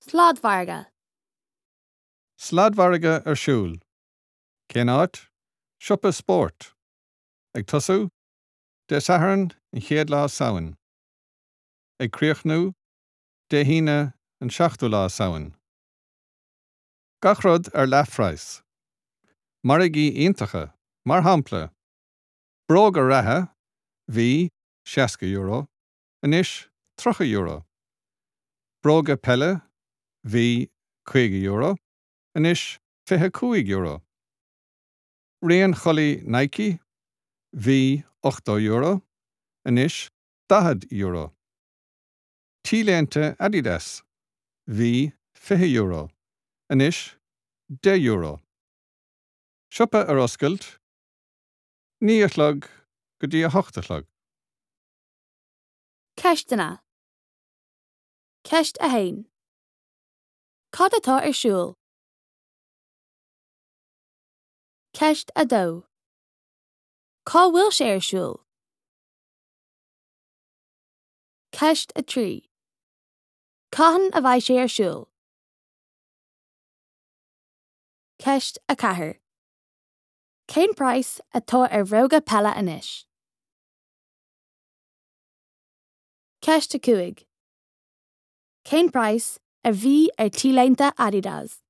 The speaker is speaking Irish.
Sladmhargadh. Sladmhargadh ar siúl. Cén áit? Siopa spóirt. Ag tosú? Dé Sathairn, an chéad lá Samhain. Ag críochnú? Dé hAoine, an seachtú lá Samhain. Gach rud ar leathphraghas. Margaí iontacha, mar shampla, bróga reatha, bhí, €60, anois €30. Bróga peile, bhí, €50, anois €25. Raon chulaith Nike, bhí, €80, anois €40. T-léinte Adidas, bhí, €20, anois €10. Siopa ar oscailt, 9 a chlog go dtí 8 a chlog. Ceisteanna. Ceist 1. Cad atá ar siúl? Ceist 2. Cá bhfuil sé ar siúl? Ceist 3. Cathain a bheidh sé ar siúl? Ceist 4. Cén praghas atá ar bhróga peile anois? Ceist 5. Cén praghas a bhí ar T-léinte Adidas?